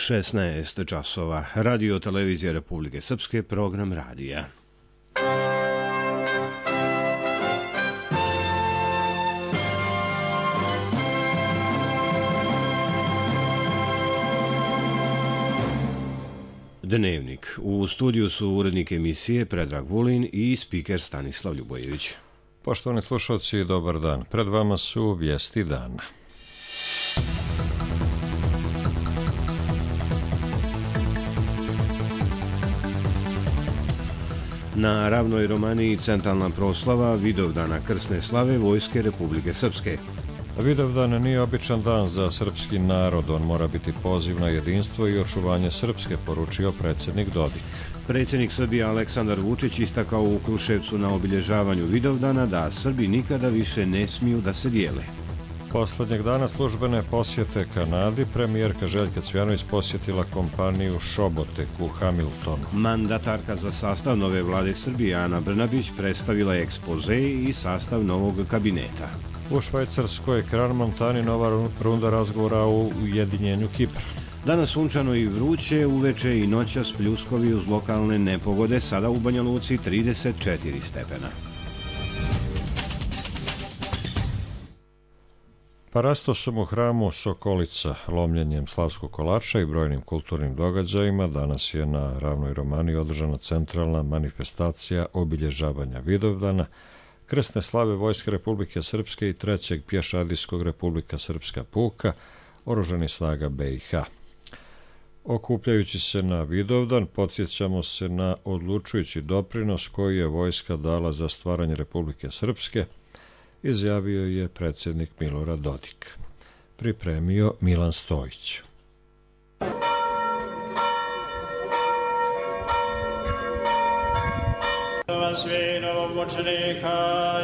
16 časova. Radio televizija Republike Srpske, program radija. Dnevnik. U studiju su urednik emisije Predrag Vulin i spiker Stanislav Ljubojević. Poštovani slušalci, dobar dan. Pred vama su vijesti dana. Na Ravnoj Romaniji centralna proslava Vidovdana krsne slave Vojske Republike Srpske. Vidovdan nije običan dan za srpski narod, on mora biti poziv na jedinstvo i očuvanje Srpske, poručio predsjednik Dodik. Predsjednik Srbije Aleksandar Vučić istakao u Kruševcu na obilježavanju Vidovdana da Srbi nikada više ne smiju da se dijele. Posljednjeg dana službene posjete Kanadi premijerka Željka Cvjanović posjetila kompaniju Šobotek u Hamiltonu. Mandatarka za sastav nove vlade Srbije Ana Brnabić predstavila je ekspoze i sastav novog kabineta. U Švajcarskoj Kran-Montani nova runda razgovora o ujedinjenju Kipra. Danas sunčano i vruće, uveče i noćas pljuskovi uz lokalne nepogode, sada u Banja Luci 34 stepena. Parastosom u hramu Sokolica, lomljenjem slavskog kolača i brojnim kulturnim događajima danas je na Ravnoj Romaniji održana centralna manifestacija obilježavanja Vidovdana, krsne slave Vojske Republike Srpske i 3. pješadijskog Republika Srpska puka, oružanih snaga BiH. Okupljajući se na Vidovdan, podsjećamo se na odlučujući doprinos koji je vojska dala za stvaranje Republike Srpske, izjavio je predsjednik Milorad Dodik. Pripremio Milan Stojić. Svi novomučenika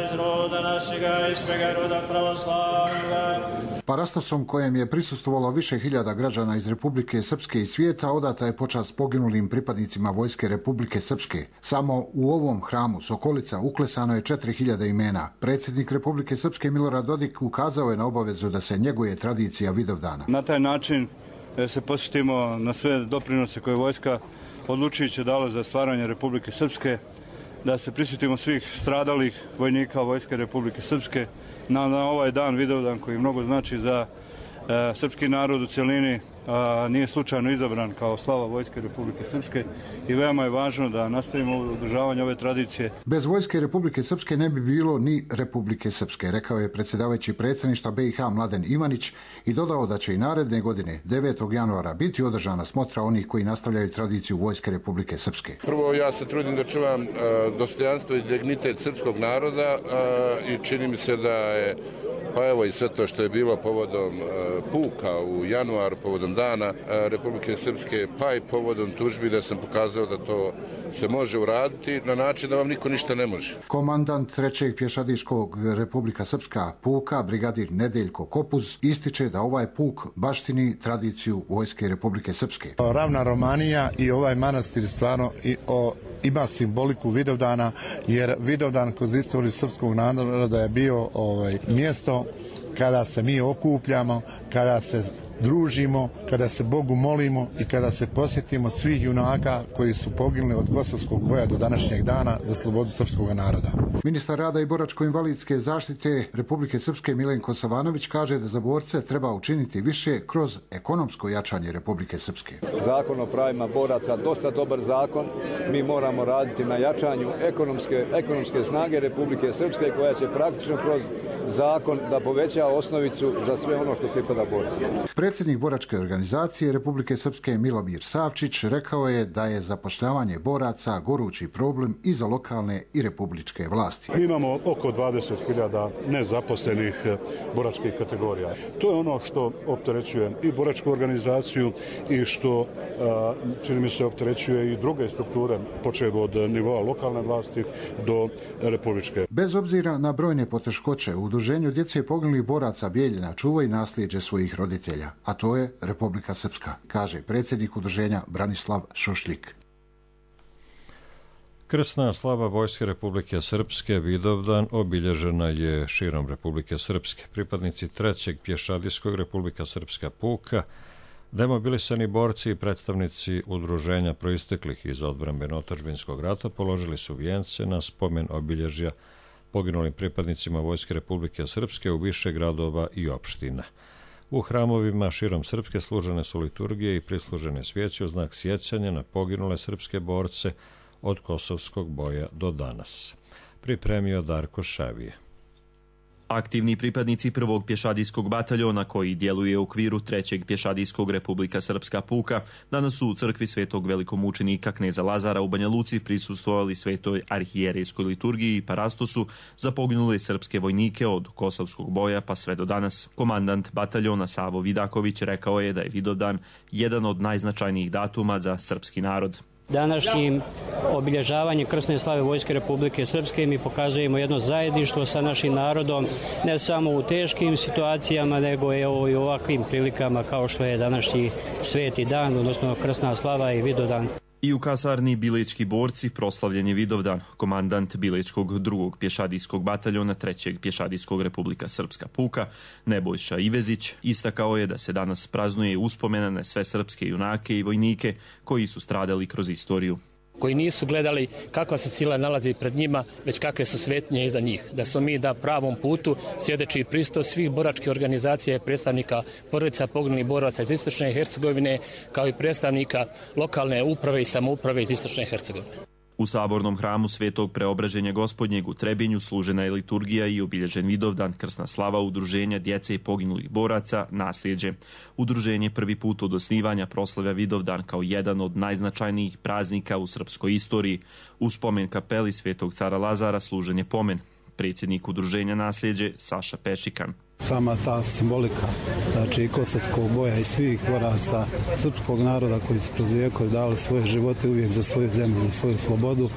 iz roda našega i svega roda pravoslavnoga. Parastosom kojem je prisustvovalo više hiljada građana iz Republike Srpske i svijeta odata je počast poginulim pripadnicima Vojske Republike Srpske. Samo u ovom hramu Sokolica uklesano je 4000 imena. Predsjednik Republike Srpske Milorad Dodik ukazao je na obavezu da se njeguje tradicija Vidovdana. Na taj način se posjetimo na sve doprinose koje vojska odlučujući dala za stvaranje Republike Srpske, da se prisjetimo svih stradalih vojnika Vojske Republike Srpske na ovaj dan, Vidovdan, koji mnogo znači za srpski narod u cjelini, nije slučajno izabran kao slava Vojske Republike Srpske i veoma je važno da nastavimo održavanje ove tradicije. Bez Vojske Republike Srpske ne bi bilo ni Republike Srpske, rekao je predsjedavajući predsjedništva BiH Mladen Ivanić i dodao da će i naredne godine 9. januara biti održana smotra onih koji nastavljaju tradiciju Vojske Republike Srpske. Prvo, ja se trudim da čuvam dostojanstvo i dignitet srpskog naroda i čini mi se da je, pa evo i sve to što je bilo povodom puka u januaru, povodom dana Republike Srpske, pa i povodom tužbi, da sam pokazao da to se može uraditi na način da vam niko ništa ne može. Komandant 3. pješadijskog Republika Srpska puka, brigadir Nedeljko Kopuz, ističe da ovaj puk baštini tradiciju Vojske Republike Srpske. Ravna Romanija i ovaj manastir stvarno ima simboliku Vidovdana, jer Vidovdan kroz istoriju srpskog naroda je bio mjesto kada se mi okupljamo, kada se družimo, kada se Bogu molimo i kada se posjetimo svih junaka koji su poginuli od Kosovskog boja do današnjeg dana za slobodu srpskog naroda. Ministar rada i boračko-invalidske zaštite Republike Srpske Milenko Savanović kaže da za borce treba učiniti više kroz ekonomsko jačanje Republike Srpske. Zakon o pravima boraca, dosta dobar zakon. Mi moramo raditi na jačanju ekonomske snage Republike Srpske koja će praktično kroz zakon da poveća osnovicu za sve ono što pripada borcima. Predsjednik boračke organizacije Republike Srpske Milomir Savčić rekao je da je zapošljavanje boraca gorući problem i za lokalne i republičke vlasti. Mi imamo oko 20.000 nezaposlenih boračkih kategorija. To je ono što opterećuje i boračku organizaciju i što, čini mi se, opterećuje i druge strukture, počev od nivoa lokalne vlasti do republičke. Bez obzira na brojne poteškoće, u Udruženju djece poginulih boraca Bijeljina čuva i nasljeđe svojih roditelja, a to je Republika Srpska, kaže predsjednik udruženja Branislav Šušljik. Krsna slava Vojske Republike Srpske Vidovdan obilježena je širom Republike Srpske. Pripadnici 3. pješadijskog Republika Srpska puka Demobilisani borci i predstavnici udruženja proisteklih iz odbrambeno-otadžbinskog rata položili su vijence na spomen obilježja poginulim pripadnicima Vojske Republike Srpske u više gradova i opština. U hramovima širom Srpske služene su liturgije i prislužene svijeće u znak sjećanja na poginule srpske borce od Kosovskog boja do danas. Pripremio Darko Šavije. Aktivni pripadnici prvog pješadijskog bataljona koji djeluje u okviru trećeg pješadijskog Republika Srpska puka danas su u crkvi svetog velikomučenika kneza Lazara u Banja Luci prisustvovali svetoj arhijerejskoj liturgiji i parastosu za poginule srpske vojnike od Kosovskog boja pa sve do danas. Komandant bataljona Savo Vidaković rekao je da je Vidovdan jedan od najznačajnijih datuma za srpski narod. Današnjim obilježavanjem krsne slave Vojske Republike Srpske mi pokazujemo jedno zajedništvo sa našim narodom, ne samo u teškim situacijama, nego i u ovakvim prilikama kao što je današnji sveti dan, odnosno krsna slava i Vidovdan. I u kasarni Bilečki borci proslavljen je Vidovdan. Komandant Bilečkog drugog pješadijskog bataljona trećeg pješadijskog Republika Srpska puka Nebojša Ivezić istakao je da se danas praznuje uspomena na sve srpske junake i vojnike koji su stradali kroz istoriju. Koji nisu gledali kakva se sila nalazi pred njima, već kakve su svetnje iza njih. Da smo mi na pravom putu svjedoči pristo svih boračkih organizacija i predstavnika porodica poginulih boraca iz Istočne Hercegovine, kao i predstavnika lokalne uprave i samouprave iz Istočne Hercegovine. U sabornom hramu Svetog Preobraženja Gospodnjeg u Trebinju služena je liturgija i obilježen Vidovdan, krsna slava udruženja djece i poginulih boraca Nasljeđe. Udruženje prvi put od osnivanja proslavlja Vidovdan kao jedan od najznačajnijih praznika u srpskoj istoriji. U spomen kapeli Svetog cara Lazara služen je pomen. Predsjednik udruženja Nasljeđe Saša Pešikan. Sama ta simbolika, znači i Kosovskog boja i svih boraca srpskog naroda koji su kroz vijekove dali svoje živote uvijek za svoju zemlju, za svoju slobodu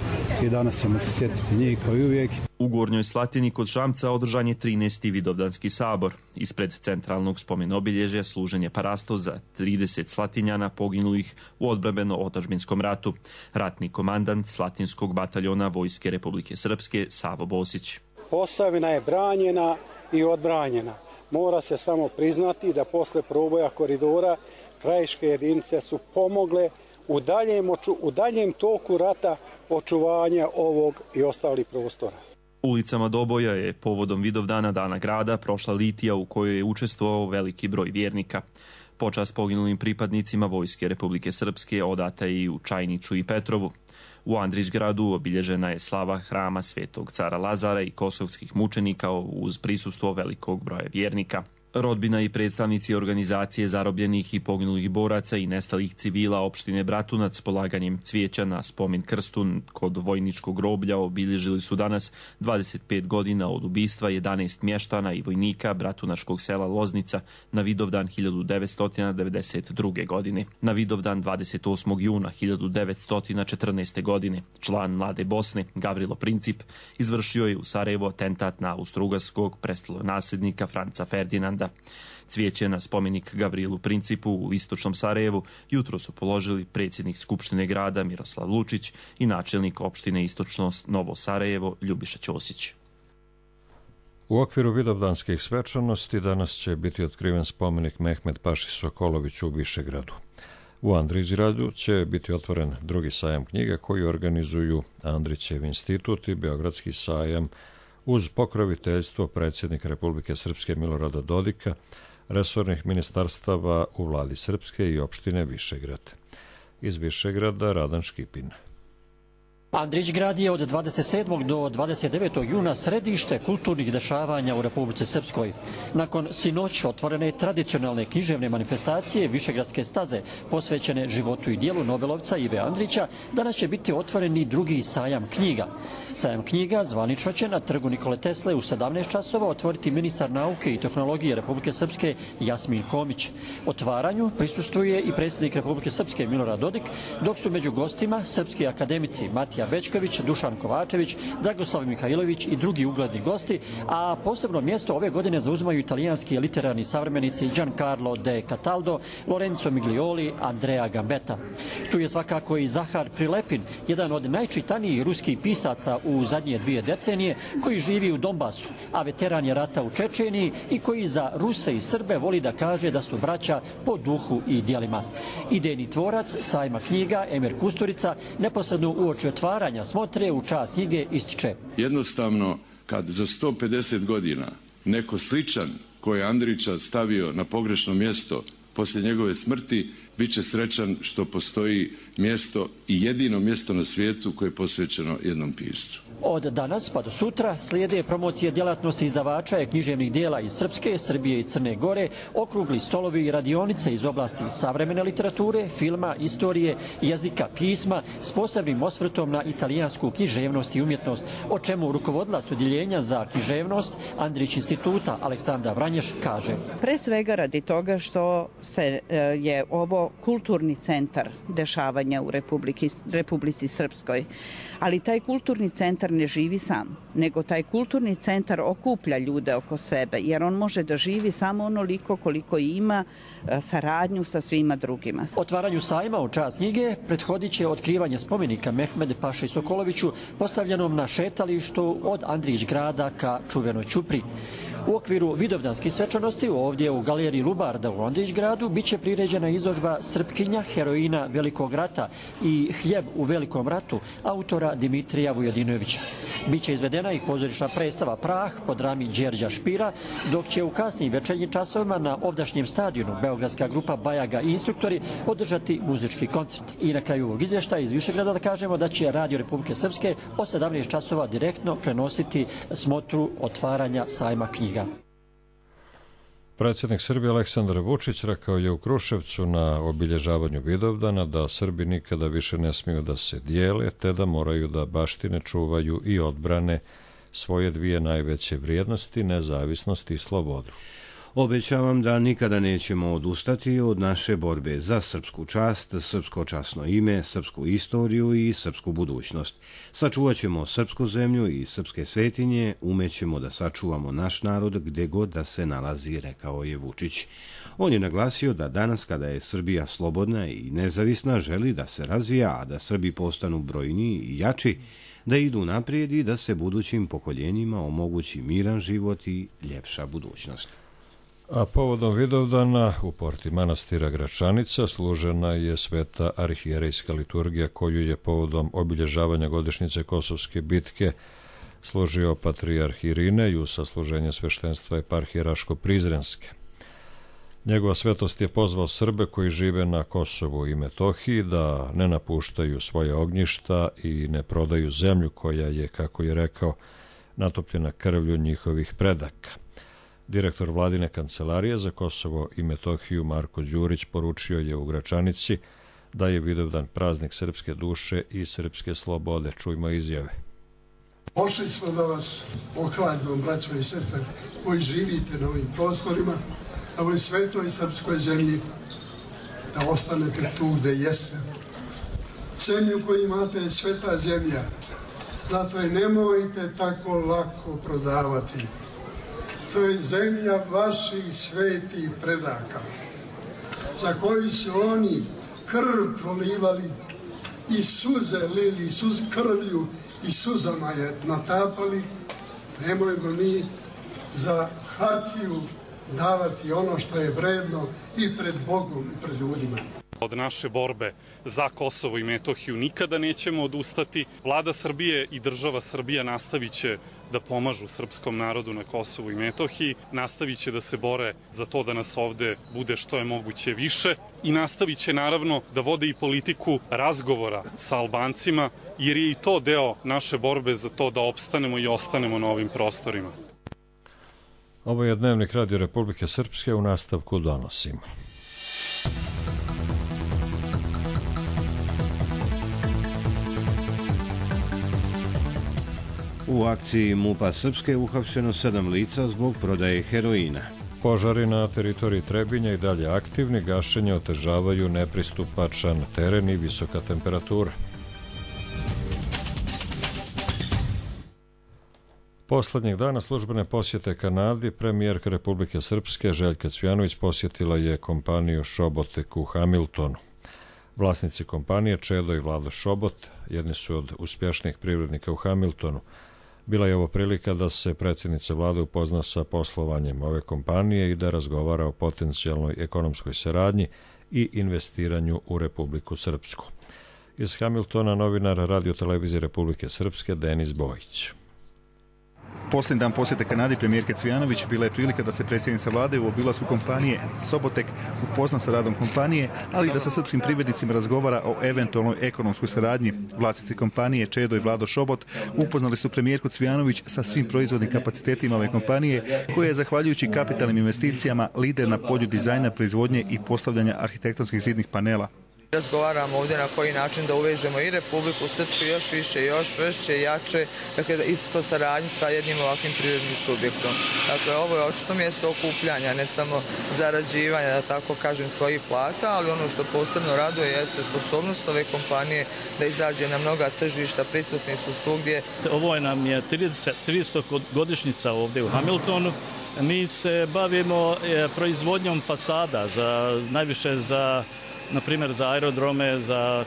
i danas ćemo se sjetiti njih kao i uvijek. U Gornjoj Slatini kod Šamca održan je 13. Vidovdanski sabor. Ispred centralnog spomen obilježja služen je parasto za 30 Slatinjana poginulih u odbrambeno-otadžbinskom ratu. Ratni komandant Slatinskog bataljona Vojske Republike Srpske Savo Bosić. Posavina je branjena i odbranjena. Mora se samo priznati da posle proboja koridora krajiške jedinice su pomogle u daljem toku rata očuvanja ovog i ostalih prostora. Ulicama Doboja je povodom Vidovdana Dana grada prošla litija u kojoj je učestvovao veliki broj vjernika. Počast poginulim pripadnicima Vojske Republike Srpske odata je i u Čajniču i Petrovu. U Andrićgradu obilježena je slava hrama Svetog cara Lazara i kosovskih mučenika uz prisustvo velikog broja vjernika. Rodbina i predstavnici organizacije zarobljenih i poginulih boraca i nestalih civila opštine Bratunac polaganjem cvijeća na spomen krstu kod vojničkog groblja obilježili su danas 25 godina od ubistva 11 mještana i vojnika bratunačkog sela Loznica na Vidovdan 1992. godine. Na Vidovdan 28. juna 1914. godine član Mlade Bosne Gavrilo Princip izvršio je u Sarajevu atentat na austrougarskog prestolonasljednika Franca Ferdinanda. Cvijeće na spomenik Gavrilu Principu u istočnom Sarajevu jutro su položili predsjednik Skupštine grada Miroslav Lučić i načelnik opštine Istočno Novo Sarajevo Ljubiša Ćosić. U okviru vidovdanskih svečanosti danas će biti otkriven spomenik Mehmet Paši Sokoloviću u Višegradu. U Andrićgradu će biti otvoren drugi sajam knjiga koji organizuju Andrićev institut i Beogradski sajam uz pokroviteljstvo predsjednika Republike Srpske Milorada Dodika, resornih ministarstava u vladi Srpske i opštine Višegrad. Iz Višegrada Radan Škipin. Andrićgrad je od 27. do 29. juna središte kulturnih dešavanja u Republici Srpskoj. Nakon sinoć otvorene tradicionalne književne manifestacije Višegradske staze posvećene životu i dijelu Nobelovca Ive Andrića, danas će biti otvoren i drugi sajam knjiga. Sajam knjiga zvanično će na trgu Nikole Tesle u 17 časova otvoriti ministar nauke i tehnologije Republike Srpske Jasmin Homić. Otvaranju prisustvuje i predsjednik Republike Srpske Milorad Dodik, dok su među gostima srpski akademici Matija Matija Bećković, Dušan Kovačević, Dragoslav Mihajlović i drugi ugledni gosti, a posebno mjesto ove godine zauzimaju italijanski literarni savremenici Giancarlo de Cataldo, Lorenzo Miglioli, Andrea Gambetta. Tu je svakako i Zahar Prilepin, jedan od najčitanijih ruskih pisaca u zadnje 2 decenije, koji živi u Donbasu, a veteran je rata u Čečeniji i koji za Ruse i Srbe voli da kaže da su braća po duhu i djelima. Idejni tvorac sajma knjiga Emir Kusturica neposredno uoči otvaranja smotre u čast knjige ističe: jednostavno, kad za 150 godina neko sličan koji je Andrića stavio na pogrešno mjesto poslije njegove smrti, bit će srećan što postoji mjesto i jedino mjesto na svijetu koje je posvećeno jednom piscu. Od danas pa do sutra slijede promocije djelatnosti izdavača i književnih dijela iz Srpske, Srbije i Crne Gore, okrugli stolovi i radionice iz oblasti savremene literature, filma, istorije, jezika, pisma s posebnim osvrtom na italijansku književnost i umjetnost, o čemu rukovodilac odjeljenja za književnost Andrić instituta Aleksandra Vranješ kaže: pre svega radi toga što je ovo kulturni centar dešavanja u Republici Srpskoj. Ali taj kulturni centar ne živi sam, nego taj kulturni centar okuplja ljude oko sebe, jer on može da živi samo onoliko koliko ima saradnju sa svima drugima. Otvaranju sajma u čast knjige prethodit će otkrivanje spomenika Mehmed Paši Sokoloviću, postavljenom na šetalištu od Andrić grada ka čuvenoj Ćupri. U okviru vidovdanskih svečanosti ovdje u galeriji Lubarda u Andrić gradu biće priređena izložba Srpkinja, heroina Velikog rata i Hljeb u Velikom ratu autora Dimitrija Vujadinovića. Biće izvedena i pozorišna predstava Prah po drami Đerđa Špira, dok će u kasnim večernjim časovima na ovdašnjem stadionu beogradska grupa Bajaga i instruktori održati muzički koncert. I na kraju ovog izvještaja iz Višegrada da kažemo da će Radio Republike Srpske o 17 časova direktno prenositi smotru otvaranja sajma knjiga. Predsjednik Srbije Aleksandar Vučić rekao je u Kruševcu na obilježavanju Vidovdana da Srbi nikada više ne smiju da se dijele, te da moraju da baštine, čuvaju i odbrane svoje 2 najveće vrijednosti, nezavisnost i slobodu. Obećavam da nikada nećemo odustati od naše borbe za srpsku čast, srpsko časno ime, srpsku istoriju i srpsku budućnost. Sačuvat ćemo srpsku zemlju i srpske svetinje, umećemo da sačuvamo naš narod gde god da se nalazi, rekao je Vučić. On je naglasio da danas kada je Srbija slobodna i nezavisna želi da se razvija, a da Srbi postanu brojniji i jači, da idu naprijed i da se budućim pokoljenjima omogući miran život i ljepša budućnost. A povodom Vidovdana u porti manastira Gračanica služena je sveta arhijerejska liturgija koju je povodom obilježavanja godišnjice Kosovske bitke služio patrijarh Irinej sa služenje sveštenstva eparhije Raško-Prizrenske. Njegova svetost je pozvao Srbe koji žive na Kosovu i Metohiji da ne napuštaju svoje ognjišta i ne prodaju zemlju koja je, kako je rekao, natopljena krvlju njihovih predaka. Direktor vladine kancelarije za Kosovo i Metohiju Marko Đurić poručio je u Gračanici da je Vidovdan praznik srpske duše i srpske slobode. Čujmo izjave. Pošli smo da vas ohladimo, braćo i sestre, koji živite na ovim prostorima, na ovoj svetoj srpskoj zemlji, da ostanete tu gde jeste. Zemlju koju imate je sveta zemlja, zato je nemojte tako lako prodavati. To je zemlja vaših svetih predaka, za koju su oni krv prolivali i suze lili, krvlju i suzama je natapali. Nemojmo mi za hartiju davati ono što je vredno i pred Bogom i pred ljudima. Od naše borbe za Kosovo i Metohiju nikada nećemo odustati. Vlada Srbije i država Srbija nastavit će da pomažu srpskom narodu na Kosovu i Metohiji, nastavit će da se bore za to da nas ovde bude što je moguće više i nastavit će naravno da vode i politiku razgovora sa Albancima, jer je i to deo naše borbe za to da opstanemo i ostanemo na ovim prostorima. Ovo je Dnevnik Radio Republike Srpske, u nastavku donosimo. U akciji MUP-a Srpske uhapšeno 7 lica zbog prodaje heroina. Požari na teritoriji Trebinja i dalje aktivni, gašenje otežavaju nepristupačan teren i visoka temperatura. Poslednjeg dana službene posjete Kanadi premijerka Republike Srpske Željka Cvijanović posjetila je kompaniju Šobotek u Hamiltonu. Vlasnici kompanije Čedo i Vlado Šobot jedni su od uspješnijih privrednika u Hamiltonu. Bila je ovo prilika da se predsjednica vlade upozna sa poslovanjem ove kompanije i da razgovara o potencijalnoj ekonomskoj saradnji i investiranju u Republiku Srpsku. Iz Hamiltona novinar Radio televizije Republike Srpske Denis Bojić. Posljednji dan posjete Kanadi premijerke Cvijanović bila je prilika da se predsjednica vlade u obilasku kompanije Sobotek upozna sa radom kompanije, ali i da sa srpskim privrednicima razgovara o eventualnoj ekonomskoj saradnji. Vlasnici kompanije Čedo i Vlado Šobot upoznali su premijerku Cvijanović sa svim proizvodnim kapacitetima ove kompanije, koja je zahvaljujući kapitalnim investicijama lider na polju dizajna, proizvodnje i postavljanja arhitektonskih zidnih panela. Razgovaramo ovdje na koji način da uvežemo i Republiku Srpsku još više, još čvršće, jače, dakle isto saradnju sa jednim ovakvim privrednim subjektom. Dakle, ovo je očito mjesto okupljanja, ne samo zarađivanja, da tako kažem, svojih plata, ali ono što posebno raduje jeste sposobnost ove kompanije da izađe na mnoga tržišta, prisutni su svugdje. Ovo nam je 300 godišnjica ovdje u Hamiltonu. Mi se bavimo proizvodnjom fasada, najviše na primjer za aerodrome, za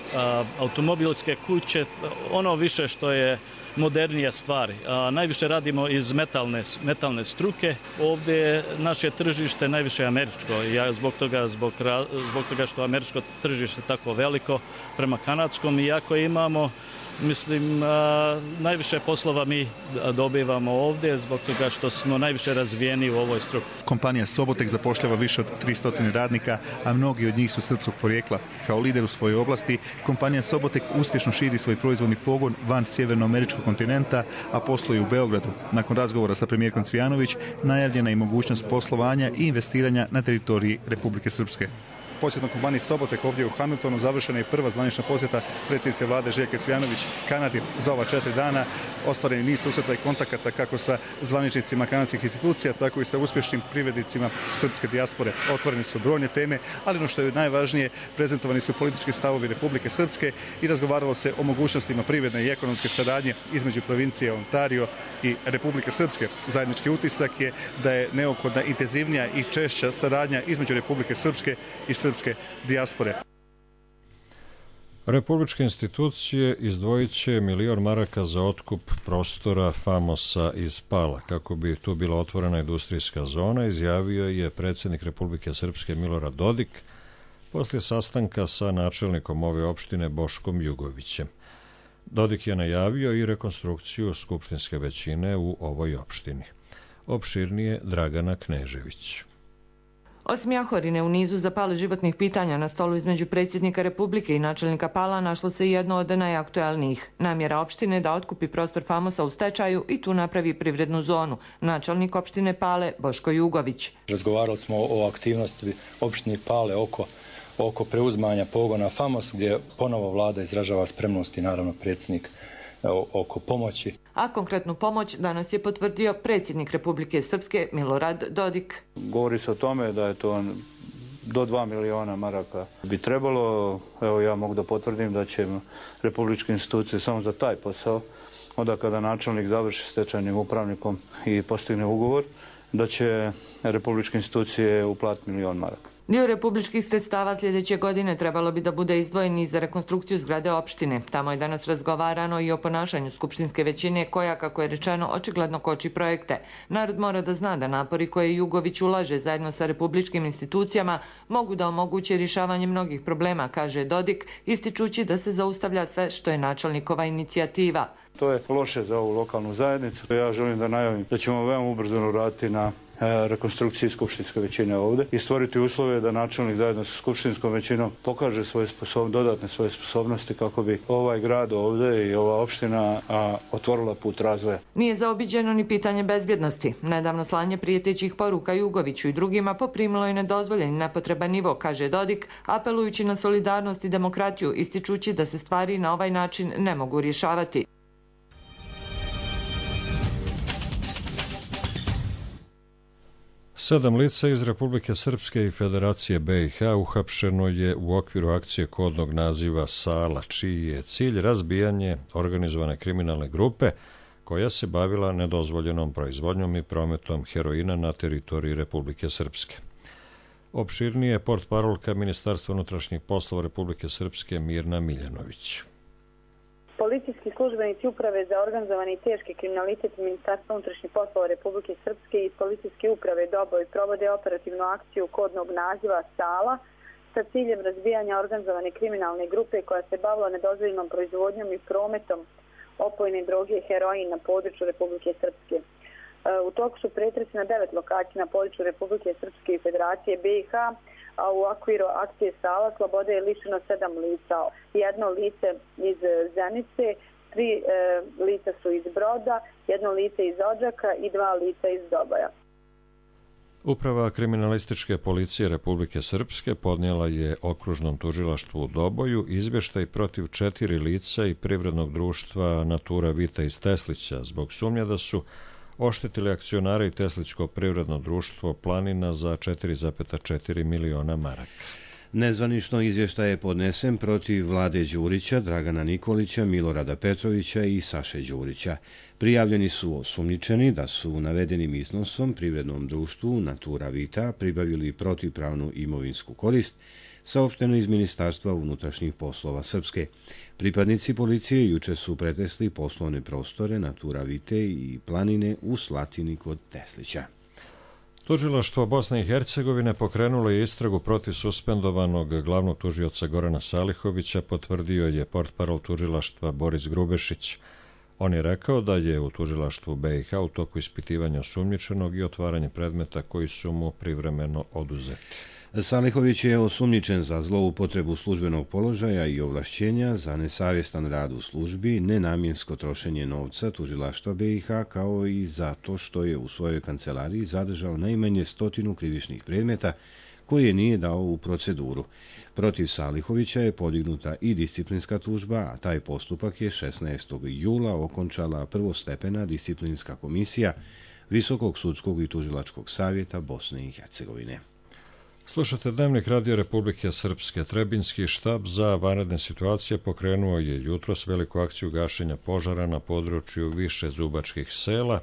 automobilske kuće, ono više što je modernije stvari. Najviše radimo iz metalne struke. Ovdje je naše tržište najviše američko. Zbog toga što američko tržište je tako veliko prema kanadskom, iako imamo, mislim, najviše poslova mi dobivamo ovdje zbog toga što smo najviše razvijeni u ovoj struki. Kompanija Sobotek zapošljava više od 300 radnika, a mnogi od njih su srpskog porijekla. Kao lider u svojoj oblasti, kompanija Sobotek uspješno širi svoj proizvodni pogon van sjevernoameričkog kontinenta, a posluje u Beogradu. Nakon razgovora sa premijerkom Cvijanović, najavljena je mogućnost poslovanja i investiranja na teritoriji Republike Srpske. Posjetom kompanije Sobotek ovdje u Hamiltonu završena je prva zvanična posjeta predsjednice vlade Željke Cvijanović Kanadi za ova 4 dana. Ostvareni niz susreta i kontakata kako sa zvaničnicima kanadskih institucija, tako i sa uspješnim privrednicima srpske dijaspore. Otvorene su brojne teme, ali ono što je najvažnije, prezentovani su politički stavovi Republike Srpske i razgovaralo se o mogućnostima privredne i ekonomske saradnje između provincije Ontario i Republike Srpske. Zajednički utisak je da je neophodna intenzivnija i češća saradnja između Republike Srpske i srpske dijaspore. Republičke institucije izdvojit će 1 milion maraka za otkup prostora Famosa iz Pala. Kako bi tu bila otvorena industrijska zona, izjavio je predsjednik Republike Srpske Milorad Dodik poslije sastanka sa načelnikom ove opštine Boškom Jugovićem. Dodik je najavio i rekonstrukciju skupštinske većine u ovoj opštini. Opširnije Dragana Knežević. Osim Jahorine, u nizu zapale životnih pitanja na stolu između predsjednika Republike i načelnika Pala našlo se jedno od najaktualnijih. Namjera opštine da otkupi prostor Famosa u stečaju i tu napravi privrednu zonu. Načelnik opštine Pale Boško Jugović. Razgovarali smo o aktivnosti opštine Pale oko preuzmanja pogona Famos, gdje ponovo vlada izražava spremnost i naravno predsjednik oko pomoći. A konkretnu pomoć danas je potvrdio predsjednik Republike Srpske Milorad Dodik. Govori se o tome da je to do 2 miliona maraka bi trebalo. Evo, ja mogu da potvrdim da će republičke institucije samo za taj posao, onda kada načelnik završi stečajnim upravnikom i postigne ugovor, da će republičke institucije uplatiti 1 milion maraka. Dio republičkih sredstava sljedeće godine trebalo bi da bude izdvojen i za rekonstrukciju zgrade opštine. Tamo je danas razgovarano i o ponašanju skupštinske većine koja, kako je rečeno, očigledno koči projekte. Narod mora da zna da napori koje Jugović ulaže zajedno sa republičkim institucijama mogu da omoguće rješavanje mnogih problema, kaže Dodik, ističući da se zaustavlja sve što je načelnikova inicijativa. To je loše za ovu lokalnu zajednicu. Ja želim da najavim da ćemo veoma ubrzano raditi na rekonstrukciji skupštinske većine ovdje i stvoriti uslove da načelnik zajedno sa skupštinskom većinom pokaže dodatne svoje sposobnosti kako bi ovaj grad ovdje i ova opština otvorila put razvoja. Nije zaobiđeno ni pitanje bezbjednosti. Nedavno slanje prijetećih poruka Jugoviću i drugima poprimilo je nedozvoljen i nepotreban nivo, kaže Dodik, apelujući na solidarnost i demokratiju, ističući da se stvari na ovaj način ne mogu rješavati. Sedam lica iz Republike Srpske i Federacije BiH uhapšeno je u okviru akcije kodnog naziva Sala, čiji je cilj razbijanje organizovane kriminalne grupe koja se bavila nedozvoljenom proizvodnjom i prometom heroina na teritoriji Republike Srpske. Opširnije portparolka Ministarstva unutrašnjih poslova Republike Srpske Mirna Miljanović. Policijski službenici Uprave za organizovani i teški kriminalitet Ministarstva unutrašnjih poslova Republike Srpske i Policijske uprave Doboj provode operativnu akciju kodnog naziva Sala sa ciljem razbijanja organizovane kriminalne grupe koja se bavila nedozvoljenom proizvodnjom i prometom opojne droge heroin na području Republike Srpske. U toku su pretresi na 9 lokacija na području Republike Srpske i Federacije BiH, a u okviru akcije Sala slobode je lišeno 7 lica. Jedno lice iz Zenice, 3 lica su iz Broda, jedno lice iz Odžaka i 2 lica iz Doboja. Uprava kriminalističke policije Republike Srpske podnijela je okružnom tužilaštvu u Doboju izvještaj protiv 4 lica i privrednog društva Natura Vita iz Teslića zbog sumnje da su oštetili akcionare i Teslićko privredno društvo Planina za 4,4 miliona maraka. Nezvanično izvještaj je podnesen protiv Vlade Đurića, Dragana Nikolića, Milorada Petrovića i Saše Đurića. Prijavljeni su osumnjičeni da su navedenim iznosom privrednom društvu Natura Vita pribavili protivpravnu imovinsku korist, saopšteno iz Ministarstva unutrašnjih poslova Srpske. Pripadnici policije juče su pretresli poslovne prostore Natura Vite i Planine u Slatini kod Teslića. Tužilaštvo Bosne i Hercegovine pokrenulo je istragu protiv suspendovanog glavnog tužioca Gorana Salihovića, potvrdio je portparol tužilaštva Boris Grubešić. On je rekao da je u tužilaštvu BiH u toku ispitivanja osumnjičenog i otvaranje predmeta koji su mu privremeno oduzeti. Salihović je osumnjičen za zloupotrebu službenog položaja i ovlašćenja, za nesavjestan rad u službi, nenamjensko trošenje novca tužilaštva BiH, kao i za to što je u svojoj kancelariji zadržao najmanje 100 krivičnih predmeta koje nije dao u proceduru. Protiv Salihovića je podignuta i disciplinska tužba, a taj postupak je 16. jula okončala prvostepena disciplinska komisija Visokog sudskog i tužilačkog savjeta Bosne i Hercegovine. Slušate Dnevnik Radio Republike Srpske. Trebinski štab za vanredne situacije pokrenuo je jutros veliku akciju gašenja požara na području više zubačkih sela,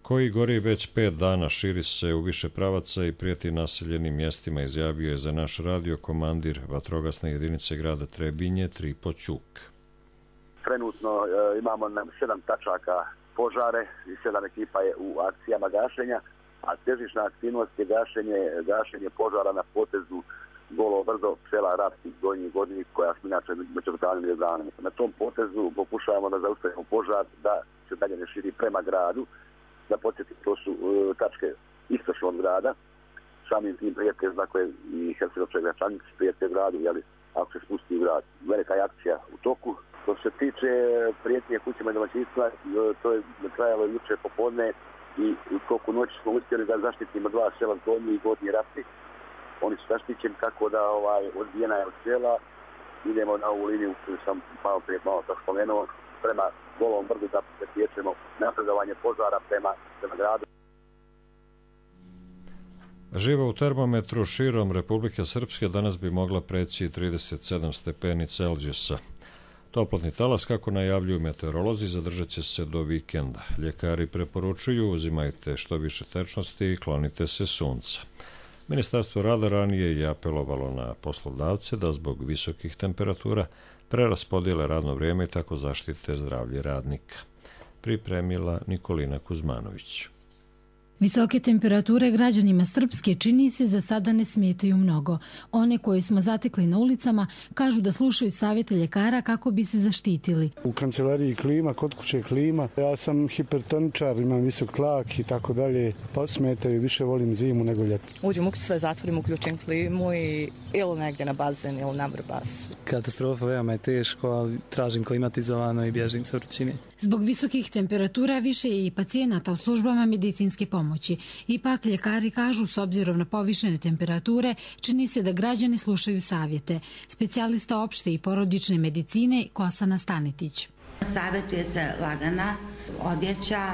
koji gori već 5 dana, širi se u više pravaca i prijeti naseljenim mjestima, izjavio je za naš radio komandir vatrogasne jedinice grada Trebinje Tripo Ćuk. Trenutno imamo 7 tačaka požare i 7 ekipa je u akcijama gašenja, a težišna aktivnost je gašenje požara na potezu Golo Brdo, sela Rapski, Donji Godnik, koja smo inače među lokalnim jezanima. Na tom potezu pokušavamo da zaustavimo požar, da se dalje ne širi prema gradu. Da podsjetim, to su tačke istočno od grada, samim tim prijete, znako je i Hercegovčaj Gračanic prijete gradu, jeli, ako se spusti u grad. Velika je akcija u toku. Što se tiče prijetnje kućima i domaćinstva, to je trajalo juče popodne i u toku noći smo uspjeli da zaštitimo 2 sela, Donji i Gornji Rapci. Oni su zaštićeni tako da odbijena je od sela. Idemo na ovu liniju koju sam malo tako spomenuo, prema Golom Brdu da priječemo napredovanje požara prema gradu. Živa u termometru širom Republike Srpske danas bi mogla preći 37 stepeni Celzijusa. Toplotni talas, kako najavljuju meteorolozi, zadržat će se do vikenda. Ljekari preporučuju uzimajte što više tečnosti i klonite se sunca. Ministarstvo rada ranije je apelovalo na poslodavce da zbog visokih temperatura preraspodijele radno vrijeme i tako zaštite zdravlje radnika. Pripremila Nikolina Kuzmanović. Visoke temperature građanima Srpske čini se za sada ne smetaju mnogo. One koje smo zatekli na ulicama kažu da slušaju savjete ljekara kako bi se zaštitili. U kancelariji klima, kod kuće klima. Ja sam hipertoničar, imam visok tlak i tako dalje. Pa smetaju, više volim zimu nego ljeto. Uđem u sve, zatvorim, uključim klimu i ili negdje na bazen ili na vrbas. Katastrofa, veoma je teško, ali tražim klimatizovano i bježim sa vrućine. Zbog visokih temperatura više je i pacijenata u službama medicinske pomoći. Ipak ljekari kažu, s obzirom na povišene temperature, čini se da građani slušaju savjete. Specijalista opšte i porodične medicine Kosana Stanetić. Savjetuje se lagana odjeća,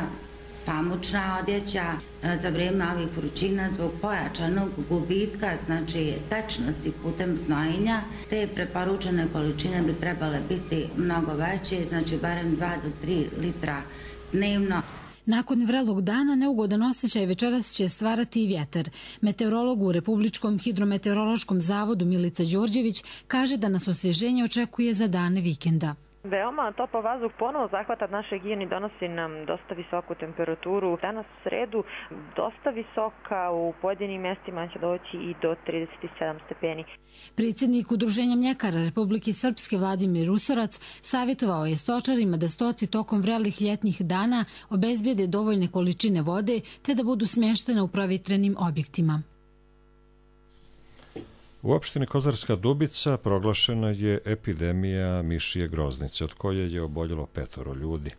pamučna odjeća za vrijeme ovih vrućina zbog pojačanog gubitka, znači tečnosti putem znojenja. Te preporučene količine bi trebale biti mnogo veće, znači barem 2 do 3 litra dnevno. Nakon vrelog dana neugodan osjećaj večeras će stvarati i vjetar. Meteorolog u Republičkom hidrometeorološkom zavodu Milica Đorđević kaže da nas osvježenje očekuje za dane vikenda. Veoma topao vazduh ponovo zahvata naš region i donosi nam dosta visoku temperaturu. Danas u sredu dosta visoka, u pojedinim mjestima će doći i do 37 stepeni. Predsjednik Udruženja mljekara Republike Srpske Vladimir Rusorac savjetovao je stočarima da stoci tokom vrelih ljetnih dana obezbijede dovoljne količine vode te da budu smještene u provjetrenim objektima. U opštini Kozarska Dubica proglašena je epidemija mišije groznice, od koje je oboljelo 5 ljudi.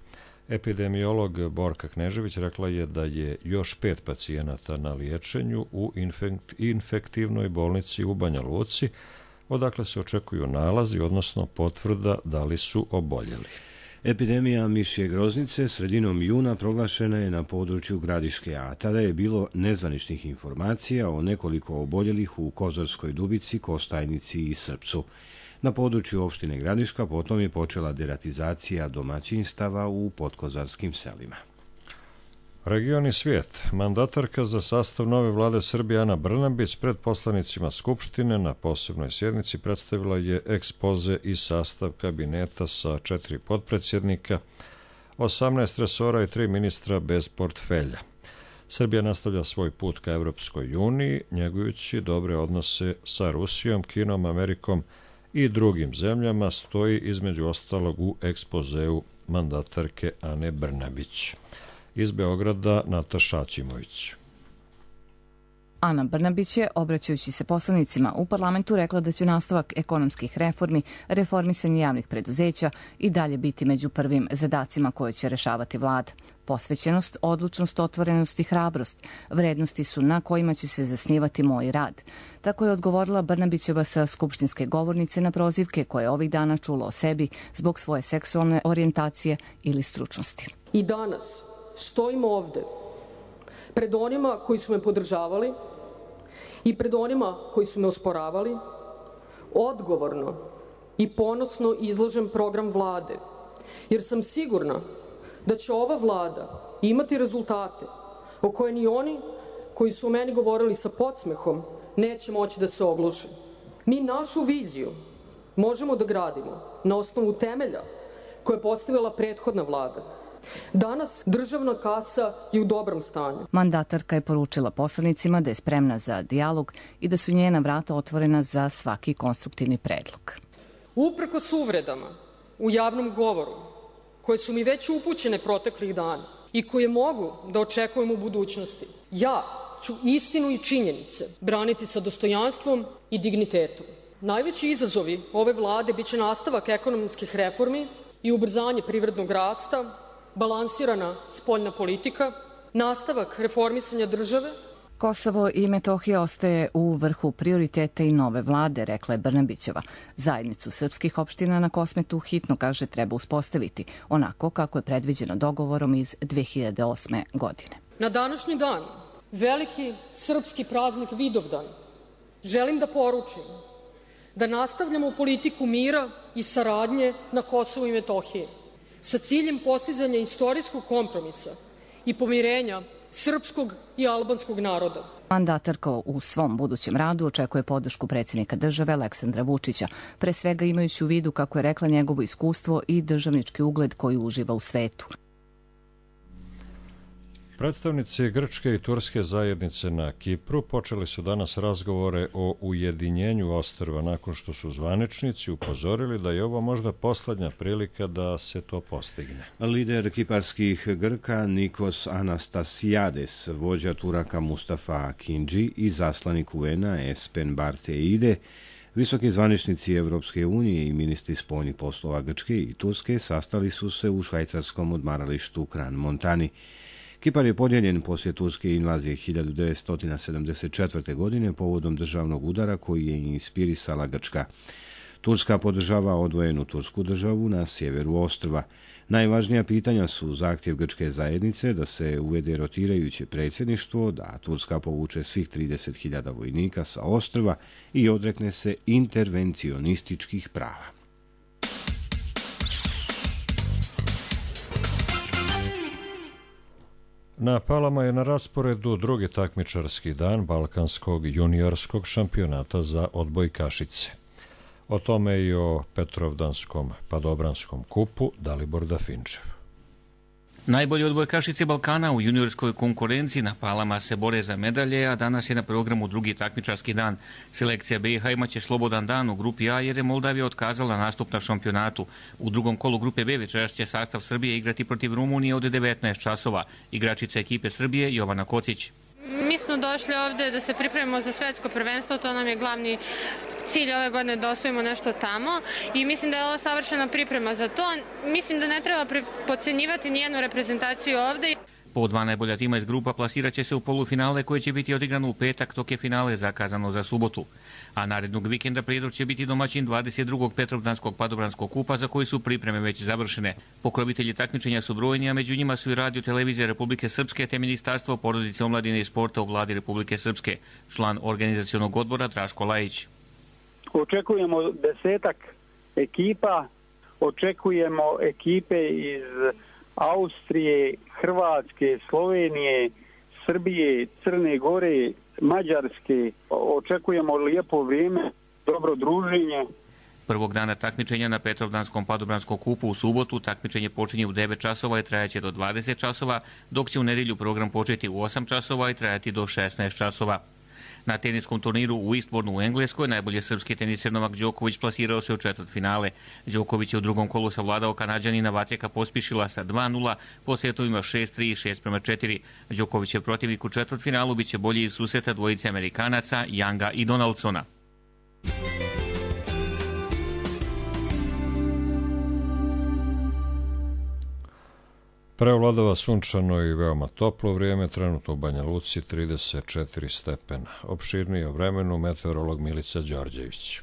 Epidemiolog Borka Knežević rekla je da je još 5 pacijenata na liječenju u infektivnoj bolnici u Banja Luci, odakle se očekuju nalazi, odnosno potvrda da li su oboljeli. Epidemija mišje groznice sredinom juna proglašena je na području Gradiške, a tada je bilo nezvaničnih informacija o nekoliko oboljelih u Kozarskoj Dubici, Kostajnici i Srpcu. Na području opštine Gradiška potom je počela deratizacija domaćinstava u podkozarskim selima. Region i svijet. Mandatarka za sastav nove vlade Srbije Ana Brnabić pred poslanicima Skupštine na posebnoj sjednici predstavila je ekspoze i sastav kabineta sa 4 potpredsjednika, 18 resora i 3 ministra bez portfelja. Srbija nastavlja svoj put ka Evropskoj uniji, njegujući dobre odnose sa Rusijom, Kinom, Amerikom i drugim zemljama, stoji između ostalog u ekspozeu mandatarke Ane Brnabić. Iz Beograda Nataša Aćimović. Ana Brnabić je, obraćajući se poslanicima u parlamentu, rekla da će nastavak ekonomskih reformi, reformisanje javnih preduzeća i dalje biti među prvim zadacima koje će rešavati vlada. Posvećenost, odlučnost, otvorenost i hrabrost vrednosti su na kojima će se zasnivati moj rad. Tako je odgovorila Brnabićeva sa skupštinske govornice na prozivke koje je ovih dana čula o sebi zbog svoje seksualne orijentacije ili stručnosti. I danas stojim ovde pred onima koji su me podržavali i pred onima koji su me osporavali, odgovorno i ponosno izložen program vlade, jer sam sigurna da će ova vlada imati rezultate o koje ni oni koji su o meni govorili sa podsmehom neće moći da se ogluše. Mi našu viziju možemo da gradimo na osnovu temelja koje je postavila prethodna vlada. Danas državna kasa je u dobrom stanju. Mandatarka je poručila poslanicima da je spremna za dijalog i da su njena vrata otvorena za svaki konstruktivni predlog. Uprkos uvredama u javnom govoru, koje su mi već upućene proteklih dana i koje mogu da očekujem u budućnosti, ja ću istinu i činjenice braniti sa dostojanstvom i dignitetom. Najveći izazovi ove vlade biće nastavak ekonomskih reformi i ubrzanje privrednog rasta, balansirana spoljna politika, nastavak reformisanja države. Kosovo i Metohija ostaje u vrhu prioriteta i nove vlade, rekla je Brnabićeva. Zajednicu srpskih opština na Kosmetu hitno, kaže, treba uspostaviti, onako kako je predviđeno dogovorom iz 2008. godine. Na današnji dan, veliki srpski praznik Vidovdan, želim da poručim da nastavljamo politiku mira i saradnje na Kosovu i Metohiji sa ciljem postizanja istorijskog kompromisa i pomirenja srpskog i albanskog naroda. Mandatarka u svom budućem radu očekuje podršku predsjednika države Aleksandra Vučića, pre svega imajući u vidu, kako je rekla, njegovo iskustvo i državnički ugled koji uživa u svetu. Predstavnici grčke i turske zajednice na Kipru počeli su danas razgovore o ujedinjenju ostrva nakon što su zvaničnici upozorili da je ovo možda poslednja prilika da se to postigne. Lider kiparskih Grka Nikos Anastasiades, vođa Turaka Mustafa Akinci i zaslanik UN-a Espen Barteide, visoki zvaničnici Evropske unije i ministri spoljnih poslova Grčke i Turske sastali su se u švajcarskom odmaralištu Kran Montani. Kipar je podijeljen poslije turske invazije 1974. godine povodom državnog udara koji je inspirisala Grčka. Turska podržava odvojenu tursku državu na sjeveru ostrva. Najvažnija pitanja su zahtjev grčke zajednice da se uvede rotirajuće predsjedništvo, da Turska povuče svih 30.000 vojnika sa ostrva i odrekne se intervencionističkih prava. Na Palama je na rasporedu drugi takmičarski dan Balkanskog juniorskog šampionata za odbojkašice. O tome i o Petrovdanskom padobranskom kupu Dalibor Dafinčev. Najbolji odbojkašice Balkana u juniorskoj konkurenciji na Palama se bore za medalje, a danas je na programu drugi takmičarski dan. Selekcija BiH imaće slobodan dan u grupi A jer je Moldavija otkazala nastup na šampionatu. U drugom kolu grupe B večeras će sastav Srbije igrati protiv Rumunije od 19 časova. Igračica ekipe Srbije Jovana Kocić. Mi smo došli ovde da se pripremimo za svetsko prvenstvo, to nam je glavni cilj ove godine da osvojimo nešto tamo i mislim da je ovo savršena priprema za to. Mislim da ne treba podcenjivati nijednu reprezentaciju ovde. Po dva najbolja tima iz grupa plasirat će se u polufinale koje će biti odigrano u petak, dok je finale zakazano za subotu. A narednog vikenda Prijedor će biti domaćin 22. Petrovdanskog padobranskog kupa za koji su pripreme već završene. Pokrovitelji takmičenja su brojni, a među njima su i Radio Televizija Republike Srpske te Ministarstvo porodice, omladine i sporta u vladi Republike Srpske. Član organizacionog odbora Draško Lajić. Očekujemo 10 ekipa, očekujemo ekipe iz Austrije, Hrvatske, Slovenije, Srbije, Crne Gore, Mađarske. Očekujemo lijepo vrijeme, dobro druženje. Prvog dana takmičenja na Petrovdanskom padobranskom kupu u subotu takmičenje počinje u 9 časova i trajaće do 20 časova, dok će u nedjelju program početi u 8 časova i trajati do 16 časova. Na teniskom turniru u Eastbournu u Engleskoj najbolji srpski teniser Novak Đoković plasirao se u četvrtfinale. Đoković je u drugom kolu savladao Kanađanina Vaceka Pospišila sa 2:0 po setovima 6:3 i 6:4. Đokovićev protivnik u četvrtfinalu biće bolji iz susreta dvojice Amerikanaca Younga i Donaldsona. Preovladava sunčano i veoma toplo vrijeme, trenutno u Banja Luci 34 stepena. Opširnije o vremenu meteorolog Milica Đorđević.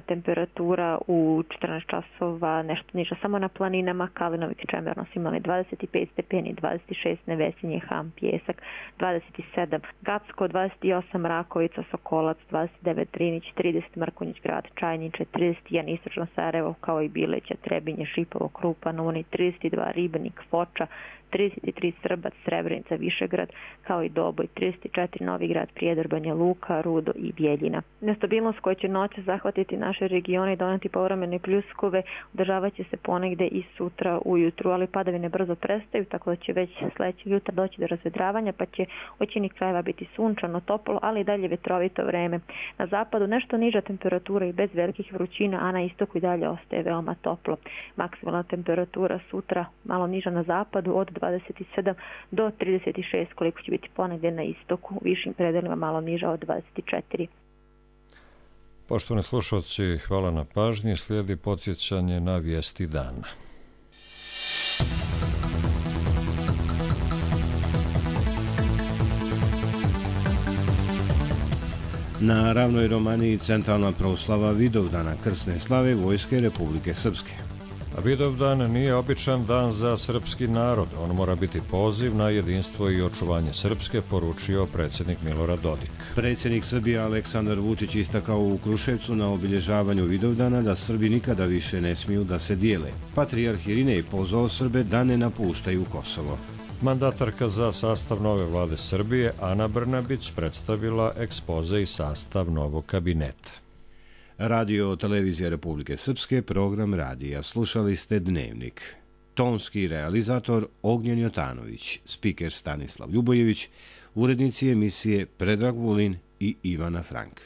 Temperatura u 14 časova nešto niža samo na planinama. Kalinovik i Čemerno su imali 25 stepeni, 26 Nevesinje, Ham, Pjesak, 27 Gacko, 28 Rakovica, Sokolac, 29 Drinić, 30 Mrkonjić grad, Čajniče, 31 Istočno Sarajevo, kao i Bileća, Trebinje, Šipovo, Krupan, Uni, 32 Ribnik, Foča, 33 Srbac, Srebrenica, Višegrad, kao i Doboj, 34 Novigrad, Prijedor, Banja Luka, Rudo i Bjeljina. Nestabilnost koja će noći zahvatiti naše regione i doneti povremene pljuskove održavat će se ponegde i sutra ujutru, ali padavine brzo prestaju, tako da će već sledećeg jutra doći do razvedravanja, pa će u većini krajeva biti sunčano, toplo, ali i dalje vetrovito vreme. Na zapadu nešto niža temperatura i bez velikih vrućina, a na istoku i dalje ostaje veoma toplo. Maksimalna temperatura sutra malo niža na zapadu od 27 do 36, koliko će biti ponegdje na istoku, u višim predelima malo niža od 24. Poštovani slušalci, hvala na pažnji. Slijedi podsjećanje na vijesti dana. Na Ravnoj Romaniji centralna proslava Vidovdana krsne slave Vojske Republike Srpske. Vidovdan nije običan dan za srpski narod. On mora biti poziv na jedinstvo i očuvanje Srpske, poručio predsjednik Milorad Dodik. Predsjednik Srbije Aleksandar Vučić istakao u Kruševcu na obilježavanju Vidovdana da Srbi nikada više ne smiju da se dijele. Patrijarh Irinej pozvao Srbe da ne napuštaju Kosovo. Mandatarka za sastav nove vlade Srbije Ana Brnabić predstavila ekspoze i sastav novog kabineta. Radio Televizija Republike Srpske, program radija. Slušali ste Dnevnik. Tonski realizator Ognjen Jotanović, spiker Stanislav Ljubojević, urednici emisije Predrag Vulin i Ivana Frank.